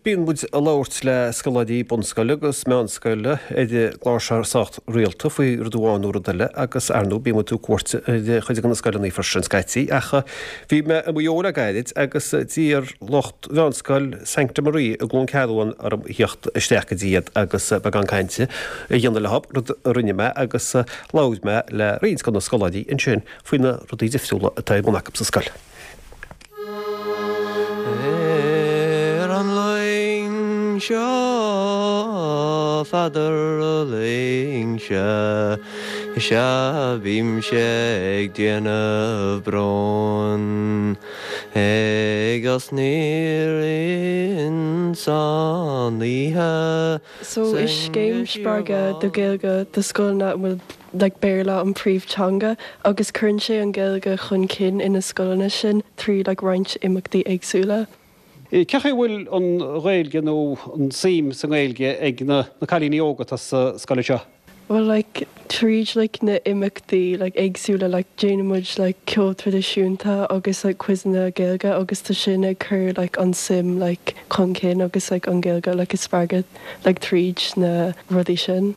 Bíonn muid ag labhairt le scoláirí bunscoile agus meánscoile ar an gclár seo sách rialta faoi rud amháin nó rud eile agus, ar ndóigh, bíonn muid ag tabhairt cuairt ar chuid de na scoileanna freisin scaití. Ach bhí mé i Maigh Eo le gairid agus d'iarr lucht Mheánscoil Sancta Maria i gCluain Ceathrún orm theacht isteach go dtí iad agus beagán cainte a dhéanamh leo, rud a rinne mé agus labhair mé le roinnt de na scoláirí ansin faoi na rudaí difriúla atá ar bun acu sa scoil. Ar an luing seo, Pheadair a loingse, is ea bímse ag déanamh bróin, agus níor ins an oíche So is scéim spreagadh do Ghaeilge do scoileanna a bhfuil like Béarla an príomh-teanga agus cuireann sé an Ghaeilge chun cinn ina scoileanna sin trí like roinnt imeachtaí éagsúla. Cén chaoi a bhfuil an Ghaeilge nó an suim sa nGaeilge ag na cailíní óga atá sa scoil seo? Bhuel like tríd like na imeachtaí like éagsúla like déanann muid like ceol traidisiúnta agus like quizeanna Gaeilge agus tá sin ag cur like an suim like chun cinn agus like an Ghaeilge like a spreagadh like tríd na rudaí sin.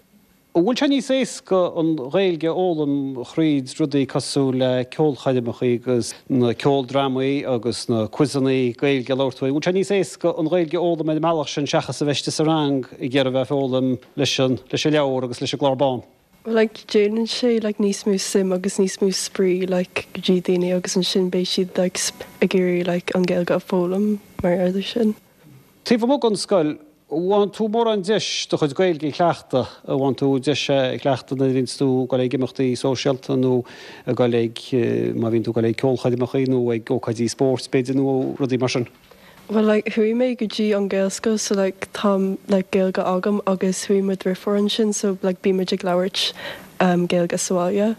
An bhfuil sé níos éasca an Ghaeilge a fhoghlaim thríd rudaí cosúil le ceolchoirmeacha agus na ceoldrámaí agus na quizeanna Gaeilge a labhair tú faoi, an bhfuil sé níos éasca an Ghaeilge a fhoghlaim ar an mbealach sin seachas a bheith istigh sa rang ag iarraidh a bheith ag foghlaim leis an leis an leabhar agus leis an gclár bán? Like déanann sé like níos mó suim agus níos mó spraoi like go dtí daoine agus ansin beidh siad like ag iarraidh like an Ghaeilge a foghlaim mar gheall air sin. Taobh amuigh den scoil, an bhfaigheann tú mórán deis do chuid Gaeilge a chleachtadh? An bhfaigheann tú deis é a chleachtadh nuair a bhíonns tú ag dul ag imeachtaí sóisialta nó ag dul ag, má bhíonn tú ag dul ag ceolchoirmeacha nó ag ócáidí spóirt b'fhéidir nó rudaí mar sin? Bhuel like chuaigh mé go dtí an Gaelscoil so like tá like Gaeilge agam agus chuaigh mo dhriofúr ansin so like bíonn muid ag labhairt Gaeilge sa bhaile.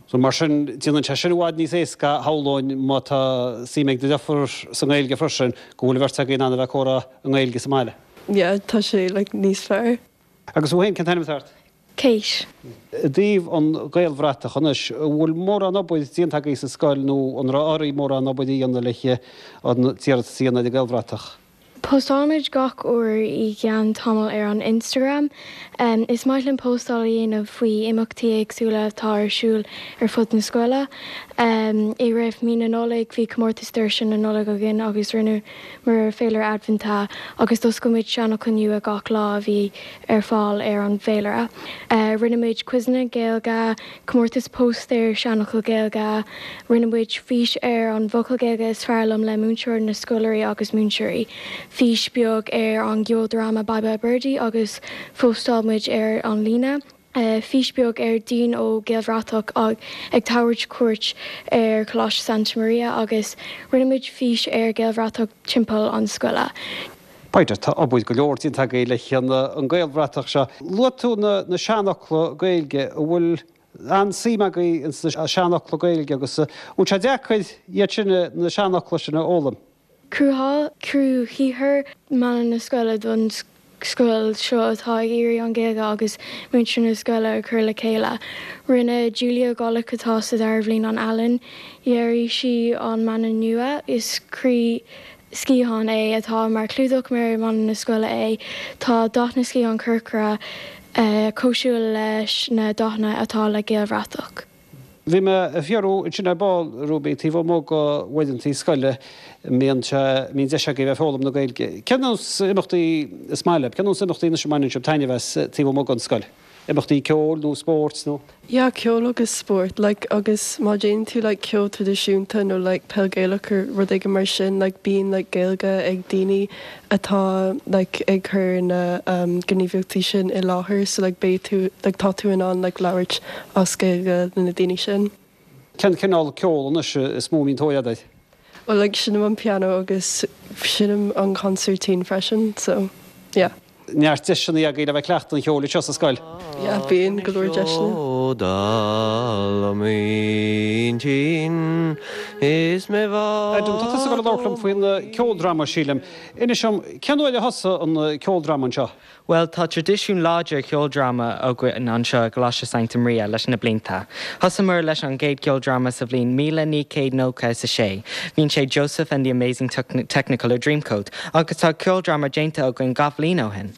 So mar sin, déanann sé sin i bhfad níos éasca, shamhlóinn, má tá suim ag do dheirfiúr sa nGaeilge freisin, go bhfuil an bheirt agaibh in ann a bheith ag comhrá i nGaeilge sa mbaile. Yeah, tá sé like níos fearr. Agus thú féin, cén t-ainm atá ort? Kate. I dtaobh an Ghaelbhratach anois, an bhfuil mórán obair déanta agaibh sa scoil nó an raibh oraibh mórán obair a dhéanamh le an t-iarratas a dhéanamh ar an Ghaelbhratach? Postálaimid gach uair i gceann tamaill ar an Instagram. Is maith linn postáil a dhéanamh faoi imeachtaí éagsúla atá ar siúl ar fud na scoile. I rith mí na Nollag bhí comórtas doirse na Nollag againn agus rinneamar féilire Aidbhinte agus d'oscail muid seanfhocal nua gach lá a bhí ar fáil ar an bhféilire. Rinne muid quizeanna Gaeilge, comórtas póstaer seanfhocal Gaeilge, rinne muid fís ar an bhfocal Gaeilge is fearr liom le múinteoir na scoláirí agus múinteoirí, fís beag ar an gceoldráma Bye Bye Birdie agus phóstáil muid ar an líne, fís beag ar Dean ó Gaelbhratach ag tabhairt cuairt ar Choláiste Santa Maria agus rinne muid fís ar Ghaelbhratach timpeall an scoile. B'fhéidir, tá obair go leor déanta agaibh le an Gaelbhratach seo. Luaigh tú na seanfhocla Gaeilge, an bhfuil an-suim agaibh ins na seanfhocla Gaeilge agus an bhfuil sé deacair iad sin, na seanfhocla sin a fhoghlaim? Cruthaigh croíshaothar mana na scoile don scoil seo atá ag iarraidh an Ghaeilge agus muintir na scoile a chur le chéile. Rinne Julia Golick atá sa dara bhliain an ealaín. Dhearaigh sí an mana nua. Is croí sciathán é atá mar chlúdach mar mana na scoile é. Tá dath na sciathán corcra cosúil leis na dathanna atá le Gaelbhratach. Bhí mé ag fiafraí ansin ar ball, Ruby, taobh amuigh de uaireanta scoile, an mbíonn sé, an mbíonn deis agaibh a bheith ag foghlaim na Gaeilge. Cén nós imeachtaí is maith libh? Cén nós imeachtaí anois a mbaineann sibh taitneamh as taobh amuigh den scoil? Imeachtaí ceoil nó spóirt nó? Yeah, ceol agus spórt, like, agus má déanann tú like ceol traidisiúnta nó like peil Gaelach or rud éigin mar sin, like bíonn like Gaeilge ag daoine atá like ag cur na um gníomhaíochtaí sin i láthair so like beidh tú like tá tú in ann like labhairt as Gaeilge le na daoine sin. Cén cineál ceol anois is mó a mbíonn tóir agat air? Well like seinnim an pianó agus seinnim an consairtín freisin so yeah. Neart deiseanna agaibh le bheith ag cleachtadh an cheoil anseo sa scoil. Yeah, bíonn go leor deiseanna. Ó dall i m'intinn is mé Adam, tá tusa ag dul a labhairt liom faoin ceoldráma, sílim. Inis dom, cén uair a thosaigh an ceoldráma anseo? Bhuel, tá traidisiún láidir cheoldráma againn anseo i gColáiste Sancta Maria leis na blianta. Thosaíomar leis an gcéad cheoldráma sa bhliain 1996. Bhí sé Joseph and the Amazing Technicolor Dreamcoat agus tá ceoldráma déanta againn gach bhliain ó shin.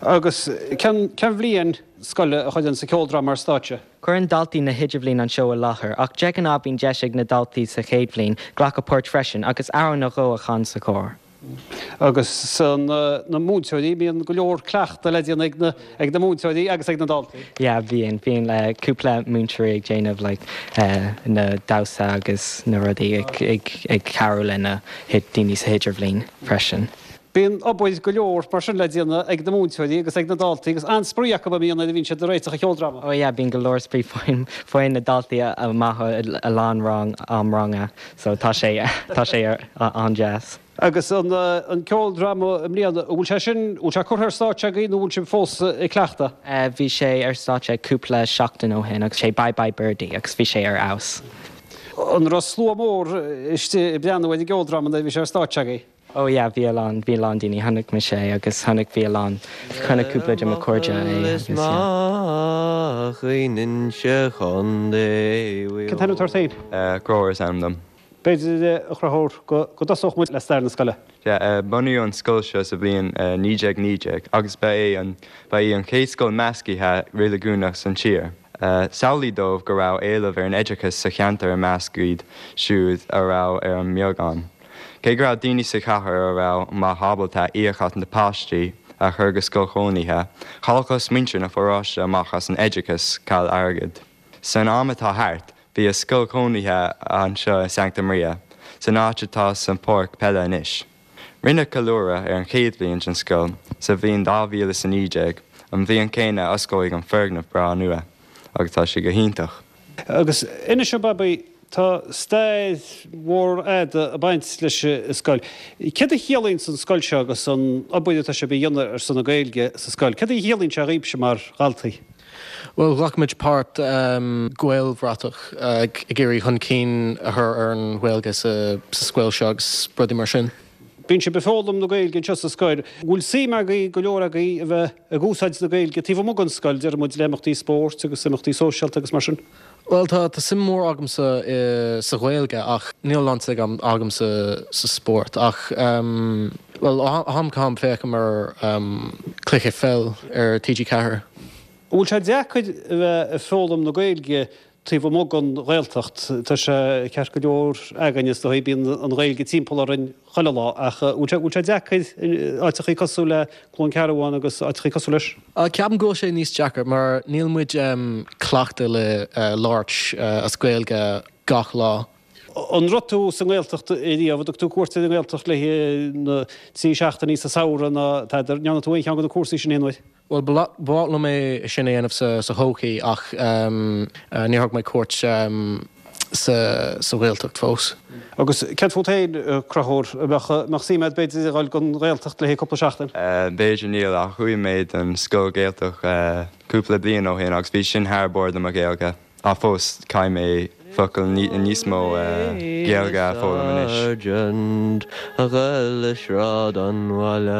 Agus cén bhliain scoile a chuireann an ceoldráma ar stáitse? Cuireann daltaí na hidirbhliain an seó i láthair ach de ghnáth bíonn deis ag na daltaí sa chéad bhliain glacadh páirt freisin agus amhrán nó dhó a chan sa chór. Agus na múinteoirí, bíonn go leor cleachta le déanamh ag na ag na múinteoirí agus ag na daltaí. Yeah, bíonn, bíonn cúpla múinteoirí ag déanamh like na damhsa agus na rudaí ag ag ag cabhrú le na daoine sa hidirbhliain freisin. Bíonn obair go leor mar sin le déanamh ag na múinteoirí agus ag na daltaí agus an-spraoi acu a mbíonn nuair a bhíonn siad ag réiteach an cheoldráma. Oh yeah, bíonn go leor spraoi faigheann faigheann na daltaí amach i lán rang am ranga. So tá sé, tá sé an-deas. Agus an ceoldráma i mbliana, an bhfuil sé sin, an bhfuil sé curtha ar stáitse agaibh nó an bhfuil sibh fós ag cleachtadh? Bhí sé ar stáitse cúpla seachtain ó shin agus sé Bye Bye Birdie agus bhí sé ar fheabhas. An raibh slua mór istigh ag breathnú ar an gceoldráma nuair a bhí sé ar stáitse agaibh? Oh yeah, bhí a lán, bhí a lán daoine, chonaic mise é agus chonaic, bhí a lán, chonaic cúpla de mo chairde é agus yeah. Cén t-ainm atá ort féin? Conchúr is ainm dom. B'fhéidir, a Chonchúir, go dtosódh muid le stair na scoile. Yeah, bunaíodh an scoil seo sa bhliain 1919 agus ba é an, ba í an chéad scoil meascaithe reiligiúnach san tír. Samhlaigh dóibh go raibh éileamh ar an oideachas sa cheantar i measc iad siúd a raibh ar an mbeagán. Cé go raibh daoine sa chathair a raibh maith ábalta íoc as na páistí a chur go scoil chónaithe, chaill cosmhuintir na pharóiste amach as an oideachas ceal airgid. San am atá thart, bhí a scoil chónaithe anseo i Sancta Maria, san áit atá sa pháirc peile anois. Rinneadh ceiliúradh ar an chéad bhliain den scoil sa bhliain 2019, an bhliain chéanna a osclaíodh an foirgneamh breá nua, agus tá sé go hiontach. Agus inis dom, Babaí, tá stair mhór fhada ag baint leis an scoil. Céard a chiallaíonn an scoil seo agus an obair atá sibh a dhéanamh ar son na Gaeilge sa scoil? Céard a chiallaíonn sé dhaoibhse mar dhaltaí? Bhuel, ghlac muid páirt Gaelbhratach ag iarraidh chun cinn a chur ar an Ghaeilge sa scoil seo agus rudaí mar sin. Bíonn sibh ag foghlaim na Gaeilge anseo sa scoil. An bhfuil suim agaibh, go leor agaibh, a bheith ag úsáid na Gaeilge taobh amuigh den scoil, deir muid, le imeachtaí spóirt agus imeachtaí sóisialta agus mar sin? Bhuel, tá suim mhór agamsa sa Ghaeilge ach níl a lán suim agamsa sa spórt. Ach, bhuel, ó am go ham féachaim ar cluiche pheil ar TG4. An bhfuil sé deacair a bheith ag foghlaim na Gaeilge taobh amuigh den Ghaeltacht, tá sé ceart go leor againn is dóigh, bíonn an Ghaeilge timpeall orainn chuile lá, ach bhfuil sé, bhfuil sé deacair in áiteachaí cosúil le Cluain Cearbán agus áiteachaí cosúil leis? Ceapaim go bhfuil sé níos deacair mar níl muid cleachta le labhairt as Gaeilge gach lá. An raibh tú sa nGaeltacht riamh? An dtug tú cuairt ar an nGaeltacht le na trí seachtainí sa samhradh nó tada? An ndearna tú aon cheann de na cúrsaí sin aon uair? Bhuel, ba mhaith liom é sin a dhéanamh sa thodhchaí ach níor thug mé cuairt sa Ghaeltacht fós. Agus céard fút féin, a Chonchúir, an mbeadh suim agat b'fhéidir a dhul don Ghaeltacht le haghaidh cúpla seachtain? B'fhéidir, níl, ach chuaigh mé don scoil Ghaeltacht cúpla bliain ó shin agus bhí sin thar barr do mo Ghaeilge. Ach fós, caithfidh mé focail níos mó Gaeilge a foghlaim anois. A ghoil i Sráid an Bhaile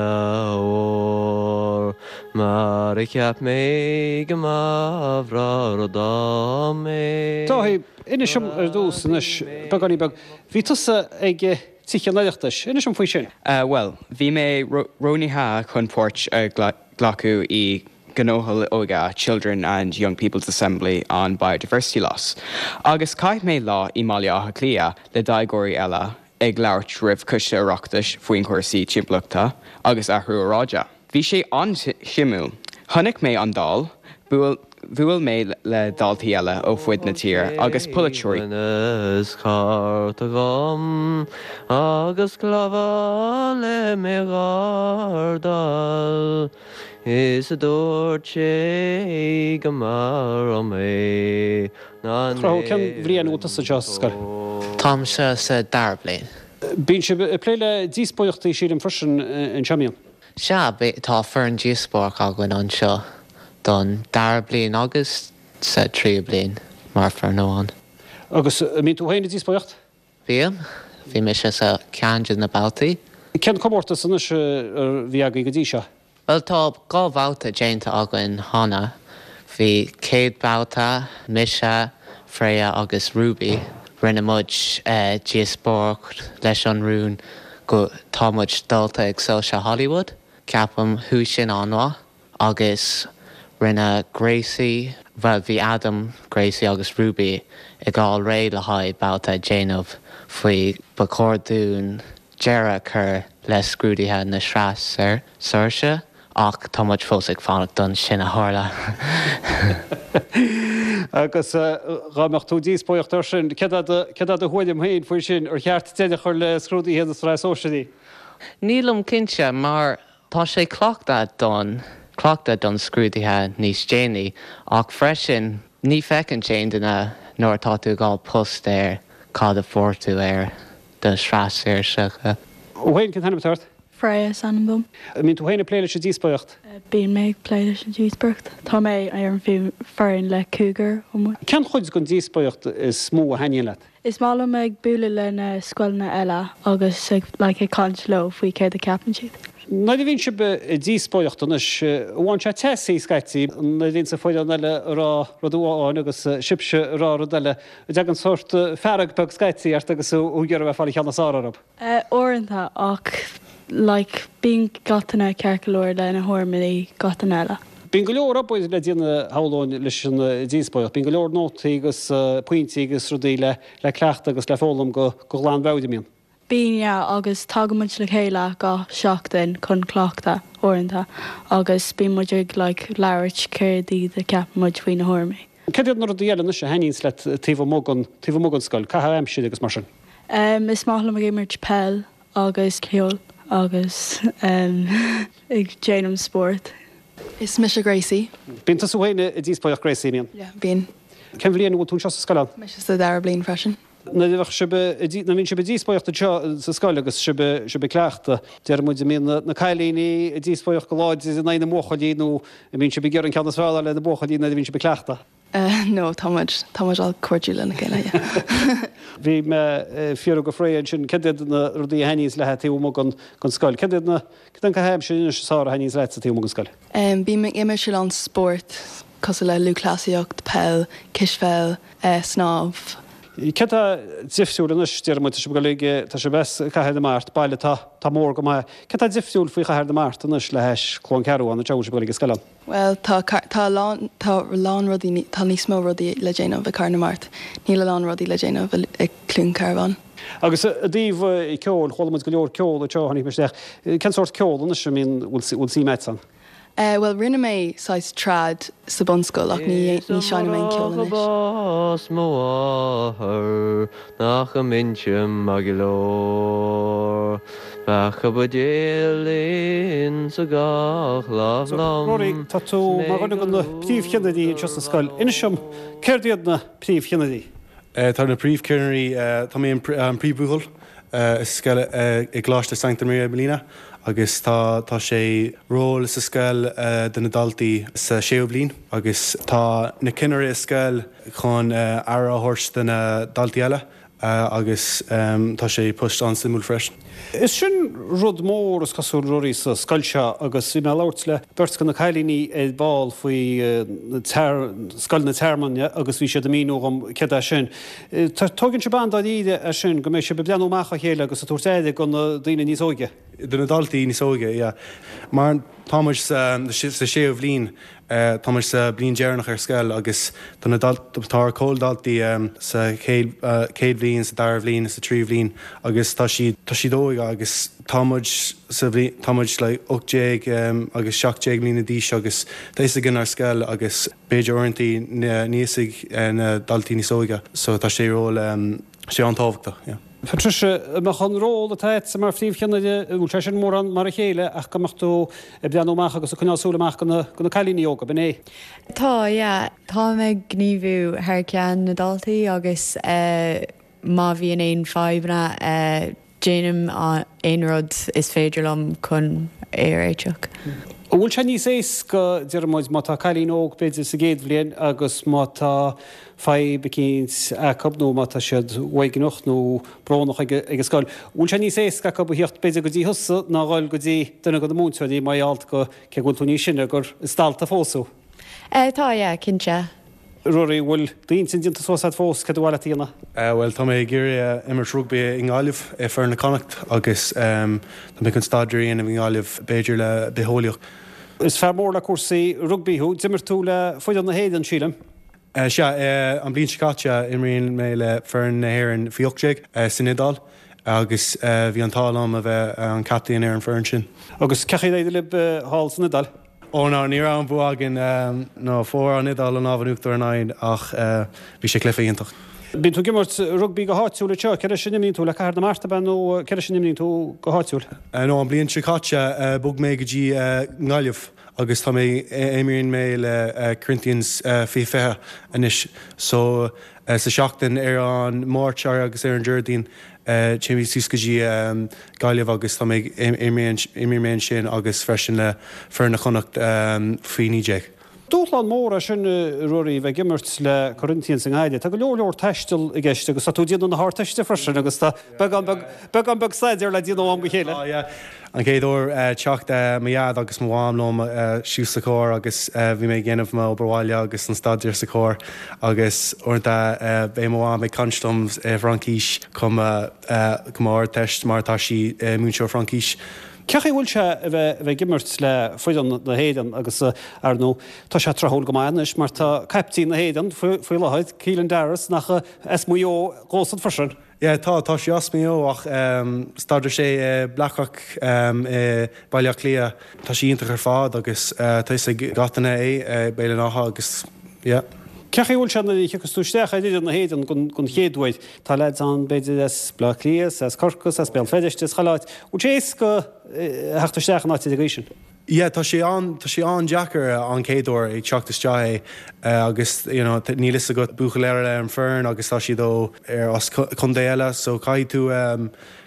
Mhóir Mar a cheap mé go mba bhreá rud dom é. Dáithí, inis dom ar dtús anois, beagáinín beag, bhí tusa ag Tithe an Oireachtais, inis dom faoi sin. Bhuel, bhí mé roghnaithe chun páirt a ghlacadh i gTionól Óige Children and Young People's Assembly on Biodiversity Loss agus chaith mé lá i mBaile Átha Cliath le déagóirí eile ag labhairt roimh Choiste Oireachtais faoin chúrsaí timpeallachta agus athrú aeráide. Bhí sé an-suimiúil. Chonaic mé an Dáil, bhuail mé le daltaí eile ó fud na tíre agus polaiteoirí. Is cárta agam agus clabhán le mé ghardáil. Is a dúirt sé go mba raibh mé ná Conchúr, cén bhliain a bhfuil tusa anseo sa scoil? Táimse sa dara bliain. Bíonn sibh ag plé le díospóireachtaí sílim freisin anseo, mbíonn? Sea, tá foireann díospóireachta againn anseo don dara bliain agus. sa tríú bliain mar foireann amháin. Agus an mbíonn tú féin ag díospóireacht? Bím. Bhí mise sa ceann de na babhtaí. Cén comórtas anois a bhí agaibh go dtí seo? Bhuel tá 2 bhabhta déanta againn cheana. Bhí céad babhta, mise, Freya agus Ruby, rinne muid díospóireacht leis an rún go tá muid dulta ag Soilse Hollywood. Ceapaim chuaigh sin an-mhaith. Agus rinne Gracie, bhuel bhí Adam, Gracie agus Ruby ag fháil réidh le haghaidh babhta a déanamh faoi ba chóir dúinn deireadh a chur le scrúduithe na Sraithe Sóisearaí ach tá muid fós ag fanacht don sin a tharla. Agus dhá mbeadh tú ag díospóireacht air sin, céard é do thuairim féin faoi sin, ar cheart deireadh a chur le scrúduithe na Sraithe Sóisearaí? Nílim cinnte mar Tá sé cleachtadh don cleachtadh don scrúduithe níos déanaí ach freisin ní feiceann aon duine nuair atá tú ag fháil post ar cad a fuair tú ar do shraith sóisearach. Thú féin, cén t-ainm atá ort? Freya is ainm dom. An mbíonn tú féin ag plé leis an díospóireacht? Bíonn mé ag plé leis an díospóireacht. Tá mé ar an foireann le cúigear amuigh. Cén chuid den díospóireacht is mó a thaitníonn leat? Is maith liom ag bualadh le na scoileanna eile agus ag like ag caint leo faoi céard a ceapann siad. Nuair a bhíonn sibh ag díospóireacht anois, an bhfaigheann sé teasaí scaití nuair a bhíonn an foireann eile ag rá rud amháin agus sibhse ag rá rud eile, an dtagann sórt fearg beag scaití ort agus thú ag iarraidh a bheith ag fáil an cheann is fearr orthu? Uaireanta, ach like bíonn gach duine ceart go leor lena thuairimí gach duine eile. Bíonn go leor obair le déanamh shamhlóinn leis an díospóireacht. Bíonn go leor nótaí agus pointí agus rudaí le le cleachtadh agus le foghlaim go glanmheabhair, an mbíonn? Bíonn, yeah, agus tagann muid le chéile gach seachtain chun cleachtadh uaireanta agus bíonn muid ag like labhairt céard iad a ceapann muid faoi na thuairimí. Céard iad na rudaí eile anois a thaitníonns leat taobh amuigh den taobh amuigh den scoil, caitheamh aimsire agus mar sin? Em, is maith liom ag imirt peil agus ceol agus em ag déanamh spórt. Is mise Gracie. Bíonn tusa féin ag díospóireacht Gracie, an mbíonn? Yeah, bíonn. Cén bhliain a bhfuil tú anseo sa scoil ann? Mise sa dara bliain freisin. Nuair a bheadh sibh ag, nuair a bhíonn sibh ag díospóireacht anseo sa scoil agus sibh, sibh ag cleachtadh, deir muid, an mbíonn na, na cailíní ag díospóireacht go láidir in aghaidh na mbuachaillí nó an mbíonn sibh ag iarraidh an ceann is fearr a fháil ar na buachaillí nuair a bhíonn sibh ag cleachtadh? No, tá muid, tá muid all cairdiúil lena chéile, yeah. Bhí mé ag fiafraí de Freya ansin céard iad na rudaí a thaitníonns léi taobh amuigh den, den scoil. Céard iad na, céard é an caitheamh aimsire anois is fearr a thaitníonns leatsa taobh amuigh den scoil? Bím ag imirt a lán spórt cosúil le lúthchleasaíocht, peil, cispheil, snámh. Céard tá difriúil anois, deir muid, tá sibh ag dul ag, tá sibh as Cathair na Mart, baile atá, atá mór go maith. Céard tá difriúil faoi Chathair na Mart anois le hais Cluain Cearbán, an treo a bhfuil sibh ag dul ag an scoil ann? Bhuel, tá, tá a lán, tá a lán rudaí, tá níos mó rudaí le déanamh i Cathair na Mart. Níl a lán rudaí le déanamh i Cluain Cearbán. Agus i dtaobh ceoil, chuala muid go leor ceoil anseo, tháinig mé isteach. Cén sórt ceoil anois a mbíonn, bhfuil suim agat ann? Bhuel, rinne mé saghas trad sa bunscoil ach ní, ní seinnim aon ceol anois. Bás mo mháthar nach mbeinnse maith go leor. Bheadh a buidéal insa gach lámh So, liom Rory, tá tú 's mar mé dhuine go de na príomhchinnirí anseo sa scoil. Inis dom, céard iad na príomhchinnirí? Tá na príomhchinnirí, tá mé an príomhbhuachaill i scoil i gColáiste Sancta Maria i mbliana agus tá tá sé ról sa scoil do na daltaí sa séú bliain agus tá na cinnirí i scoil chun aire a thabhairt do na daltaí eile agus tá sé post an-suimiúil freisin. Is sin rud mór, is cosúil, Rory, sa scoil seo agus bhí mé ag labhairt le beirt de na cailíní ar ball faoi Scoil na Tearmainne agus bhí siad ag míniú dhom céard é sin. Tóigeann sibh an-dáiríre é sin, go mbeidh sibh ag breathnú amach dá chéile agus ag tabhairt aire do na daoine níos óige. Do na daltaí níos óige, yeah. Mar tá muid sa séú bhliain Tá muid sa bliain deireanach ar scoil agus tá na tá ár comhdhaltaí sa chéad chéad bhliain, sa dara bhliain, sa tríú bhliain agus tá siad tá siad óg agus tá muid sa bhliain tá muid like 18 agus 17 mbliana d'aois agus tá fhios againn ár scoil agus b'fhéidir uaireanta níl fhios ag na daltaí níos óige so tá sé ról sé an-tábhachtach, yeah. Patricia, an mbeadh an ról atá agatsa mar phríomhcheannaire, an bhfuil sé sin mórán mar a chéile ach go mbeadh tú ag breathnú amach agus ag coinneáil súil amach do na cailíní óga, b'in é? Tá, yeah. Táim ag gníomhú thar ceann na ndaltaí agus má bhíonn aon fadhbanna, déanaim aon rud is féidir liom chun é a réiteach. An bhfuil sé níos éasca, déarfaidh muid, má tá cailín óg b'fhéidir sa gcéad bhliain agus má tá fadhb eicínt acu nó má tá siad uaigneach nó brónach ag an scoil, an bhfuil sé níos éasca acu a thíocht b'fhéidir go dtí thusa ná a dhul go dtí duine de na múinteoirí mar gheall go, cé go bhfuil tú níos sine, gur is dalta fós thú? Tá, yeah, cinnte. Ruairí, an bhfuil d'intinn déanta suas agat fós céard ba mhaith leat a dhéanamh? Bhuel, tá mé ag iarraidh imirt rugbaí i nGaillimh, i foireann na Connacht agus tá mé chun staidéar a dhéanamh i nGaillimh, b'fhéidir le bitheolaíocht. Is fear mór le cúrsaí rugbaí thú. D'imir tú le foireann na hÉireann, sílim? Sea, an bhliain seo caite imríonn mé le foireann na hÉireann faoi 18 san Iodáil agus bhí an t-ádh liom a bheith an captaen ar an foireann sin. Agus cén chaoi ar éirigh libh thall san Iodáil? Ó no, ní raibh an bua againn. No, fuair an Iodáil an lámh in uachtar orainn ach bhí sé cluiche iontach. Bíonn tú ag imirt rugbaí go háitiúil anseo, cé leis a n-imríonn tú, le Cathair na Mart ab ea nó cé leis a n-imríonn tú go háitiúil? No, an bhliain seo caite bhog mé go dtí nGaillimh agus tá mé, imríonn mé le Corinthians 2020 anois so sa seachtain ar an Máirt agus ar an Déardaoin Téim suas go dtí Gaillimh agus tá mé ag imríonn mé ansin agus freisin le foireann na Connacht faoi 19. Dúshlán mór é sin, a Ruairí, bheith ag imirt le Corinthians i nGaillimh. Tá go leor leor taistil i gceist agus tá tú ag déanamh na hArdteiste freisin agus tá beagán beag, beagán beag staidéir le déanamh ó am go chéile. Tá, yeah. An chéad uair teacht mo dhaid agus mo mham liom suas sa charr agus bhí mé ag déanamh mo obair bhaile agus an staidéar sa charr agus uaireanta beidh mo mham ag caint liom i bhFraincis chun m'Ardteist mar tá sí múinteoir Fraincis. Cén chaoi a bhfuil sé a bheith a bheith ag imirt le foireann na hÉireann agus ar ndóigh tá sé tráthúil go maith anois mar tá caiptín na hÉireann faoi láthair, Caelan Doris, nach as Maigh Eo dhósan freisin? Yeah tá, tá sé as Maigh Eo ach staidéar sé i Blackrock i Baile Átha Cliath. Tá sé iontach ar fad agus tá fhios ag gach duine é i Béal an Átha agus yeah. Cén chaoi a bhfuil sé nuair a thiocfas tú isteach ar fhoireann na hÉireann don chéad uair? Tá leaids ann b'fhéidir as Baile Átha Cliath, as Corcaigh, as Béal Feirste, as chuile áit. Bhfuil sé éasca theacht isteach in áit ar an gcaoi sin? Yeah tá sé an, tá sé an-deacair an chéad uair ag teacht isteach é agus you know níl fhios agat buachaill eile ar an foireann agus tá siad ó ar as contae eile so caithfidh tú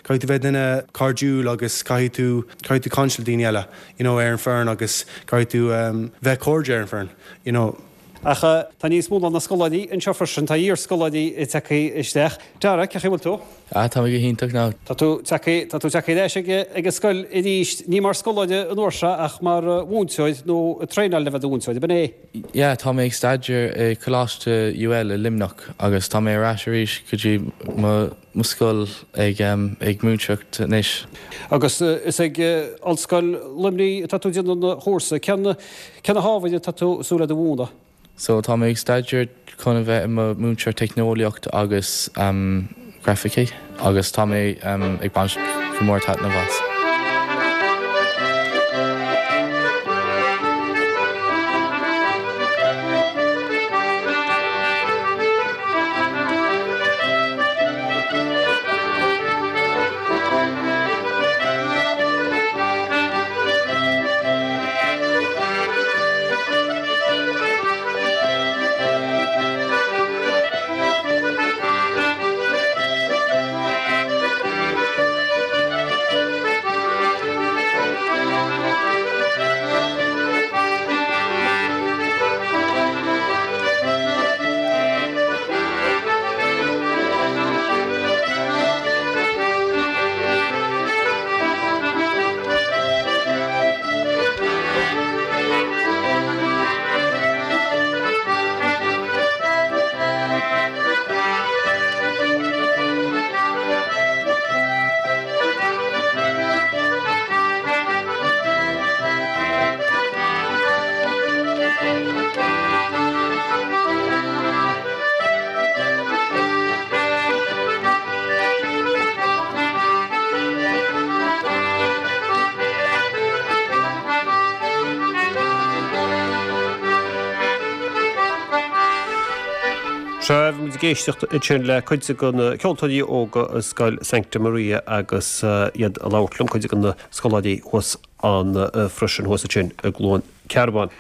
caithfidh tú bheith duine cairdiúil agus caithfidh tú caithfidh tú caint le daoine eile you know ar an foireann agus caithfidh tú bheith cairde ar an foireann you know. Ach tá níos mó ná na scoláirí anseo freisin, tá iarscoláirí tagtha isteach. Dara, cén chaoi a bhfuil tú? Ah, tá mé go hiontach now. Tá tú tagtha, tá tú tagtha ar ais ag, ag an scoil arís, ní mar scoláire an uair seo ach mar mhúinteoir nó ag traenáil le bheith i do mhúinteoir, ab in é? Yeah, tá mé ag staidéar i Coláiste UL i Luimneach agus tá mé ar ais arís go dtí mo, mo scoil ag, ag múinteoireacht anois. Agus is ag Ollscoil Luimnigh atá tú ag déanamh an chúrsa. Cé, cé na hábhair atá tú ag súil le a mhúineadh? So tá mé ag staidéar chun a bheith i mo mhúinteoir teicneolaíocht agus grafaicí agus tá mé ag baint go mór taitneamh as. Sea, bhí muid ag éisteacht ansin le cuid de na ceoltóirí óga i Scoil Sancta Maria agus iad ag labhairt liom, cuid de na scoláirí thuas ann freisin, thuas ansin i gCluain Cearbán.